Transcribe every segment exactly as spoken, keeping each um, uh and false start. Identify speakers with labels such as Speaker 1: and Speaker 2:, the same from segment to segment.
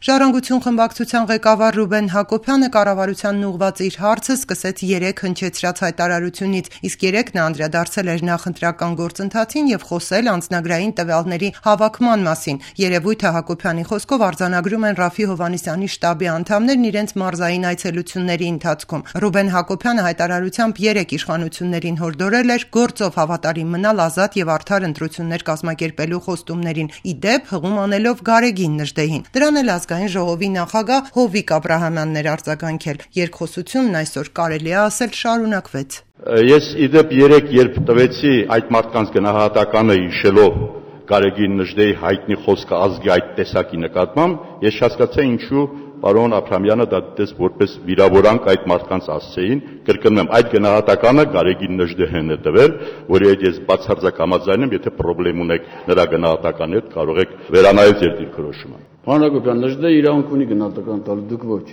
Speaker 1: Ժառանգություն խմբակցության ղեկավար Ռուբեն Հակոբյանը կառավարությանն ուղղված իր հարցը սկսեց երեկ հնչեցրած հայտարարությունից, իսկ երեկ նա անդրադարձել էր նախընտրական գործընթացին եւ խոսել անձնագրային տվյալների հավաքման մասին։ Երևույթը Հակոբյանի խոսքով արձանագրում են Րաֆֆի Հովհաննիսյանի շտաբի անդամներն իրենց մարզային այցելությունների ընթացքում։ Ռուբեն Հակոբյանը հայտարարությամբ երեկ իշխանություններին հորդորել էր գործով հավատարիմ մնալ ազատ եւ արդար ընտրություններ կազմակերպելու խոստումներին, ի դեպ հղում անելով Գարեգին Նժդեհին։ Դրան էլ ազգային ժողովի նախագահ Հովիկ Աբրահամյանն էր արձագանքել։ Երկխոսությունն այսօր կարելի է ասել շարունակվեց։
Speaker 2: Ես ի դեպ երեք երբ տվեցի այդ մարդկանց գնահատականը հիշելով Գարեգին Նժդեհի հայտնի խոսքը ազգի այդ տեսակի նկատմամբ, ես չհասկացա ինչու պարոն Աբրահամյանը դա դες որպես վիրավորանք այդ մարդկանց ասցեին, կրկնում եմ, այդ գնահատականը Գարեգին Նժդեհին է տվել, որի հետ ես բացարձակ համաձայն եմ, եթե խնդրեմ ունեք նրա գնահատականի հետ կարող եք վերանայել ձեր դիրքորոշումը։
Speaker 3: Պարոն Հակոբյան, Նժդեհը իրանք ունի գնահատական տալու, դուք ոչ։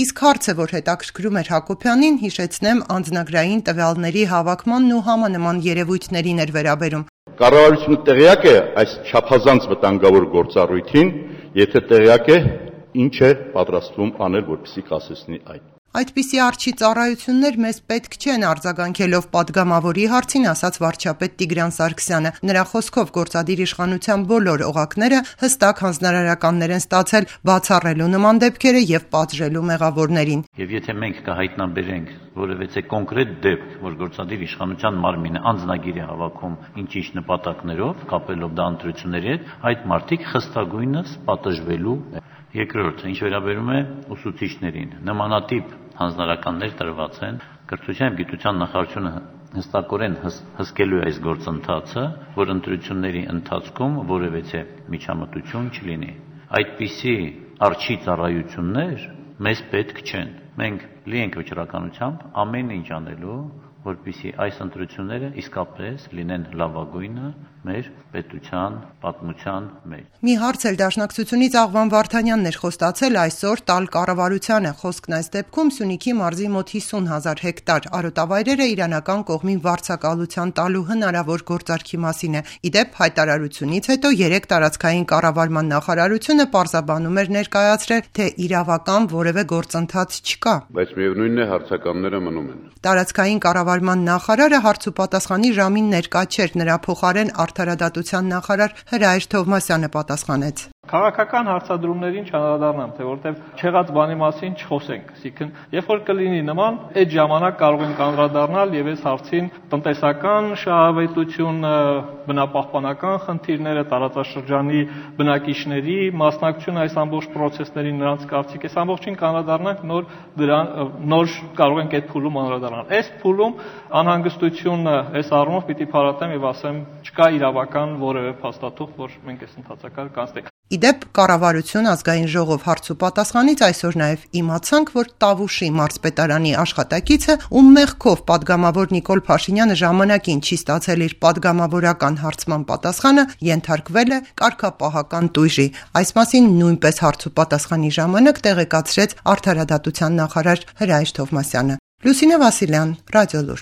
Speaker 1: Իսկ հարցը, որ հետաքրքրում էր Հակոբյանին, հիշեցնեմ, անձնագրային տվյալների հավաքմանն ու համանման երևույթներին էր վերաբերում։
Speaker 2: Կառավարությունը տեղյակ է այս չափազանց վտանգավոր գործառույթին, եթե տեղյակ է, ինչ է պատրաստվում անել, որպեսզի կասեցնի այդ։
Speaker 1: Այդպիսի արջի ծառայություններ մեզ պետք չեն, արձագանքելով падգամավորի հարցին ասաց վարչապետ Տիգրան Սարգսյանը։ Նրա խոսքով գործադիր իշխանության բոլոր օղակները հստակ հանձնարարականներ են ստացել բացառելու նման դեպքերը եւ պատժելու մեղավորներին։
Speaker 4: Եվ եթե մենք կհայտնաբերենք որևէ կոնկրետ դեպք, որ գործադիր իշխանության մարմինը անձնագիր է հավաքում ինչ-ինչ նպատակներով, կապելով դա ընտրությունների հետ, այդ մարդիկ խստագույնս պատժվելու։ Երկրորդ, ինչ վերաբերում է ուսուցիչներին, նմանատիպ հանձնարարականներ տրված են, կրթության եւ գիտության նախարարությունը հստակորեն հսկելու է այս գործընթացը, որ ընտրությունների ընթացքում որևէ միջամտություն չլինի։ Այդպիսի արջի ծառայություններ մեզ պետք չեն։ Մենք լի ենք վճռականությամբ ամեն ինչ անելու, որպեսզի այս ընտրությունները իսկապես լինեն լավագույնը մեր պետության պատմության մեջ։
Speaker 1: Մի հարց էլ դաշնակցությունից Աղվան Վարդանյանն էր խոստացել այսօր տալ կառավարությանը։ Խոսքն այս դեպքում Սյունիքի մարզի մոտ հիսուն հազար հեկտար արոտավայրերը իրանական կողմին վարձակալության տալու հնարավոր գործարքի մասին է։ Ի դեպ հայտարարությունից հետո երեք տարածքային կառավարման նախարարությունը պարզաբանում էր ներկայացրել, թե իրավական որևէ գործընթաց չկա։
Speaker 3: Բայց միևնույնն է հարցականները մնում են։
Speaker 1: Տարածքային կառավարման նախարարը հարց ու պատասխանի ժամին ներկա չէր, նրա փոխարեն արդարադատության նախարար Հրայր Թովմասյանը պատասխանեց։
Speaker 5: Քաղաքական հարցադրումներին չանդրադառնամ, թե որտեղ չեղած բանի մասին չխոսենք, այսինքն երբ որ կլինի նման, այդ ժամանակ կարող ենք անդրադառնալ եւ այս հարցին տնտեսական շահավետություն, բնապահպանական խնդիրները, տարածաշրջանի բնակիչների մասնակցությունը այս ամբողջ process-ներին, նրանց կարծիք, այս ամբողջին կանդրադառնանք նոր դրան նոր կարող ենք այդ փուլում անդրադառնալ։ Այս փուլում անհանգստությունը այս առումով պիտի փարատեմ եւ ասեմ, չկա իրավական որևէ փաստաթուղթ, որ մենք այս ընթացակարգ կանցնենք։
Speaker 1: Ի դեպ կառավարություն ազգային ժողով հարց ու պատասխանից այսօր նաև իմացանք, որ Տավուշի մարզպետարանի աշխատակիցը, ում մեղքով падգամավոր Նիկոլ Փաշինյանը ժամանակին չի ստացել իր падգամավորական հարցման պատասխանը, ենթարկվել է կարգապահական տույժի։ Այս մասին նույնպես հարց ու պատասխանի ժամանակ տեղեկացրեց արդարադատության նախարար Հրայր Թովմասյանը։ Լուսինե Վասիլյան, Ռադիոլուր։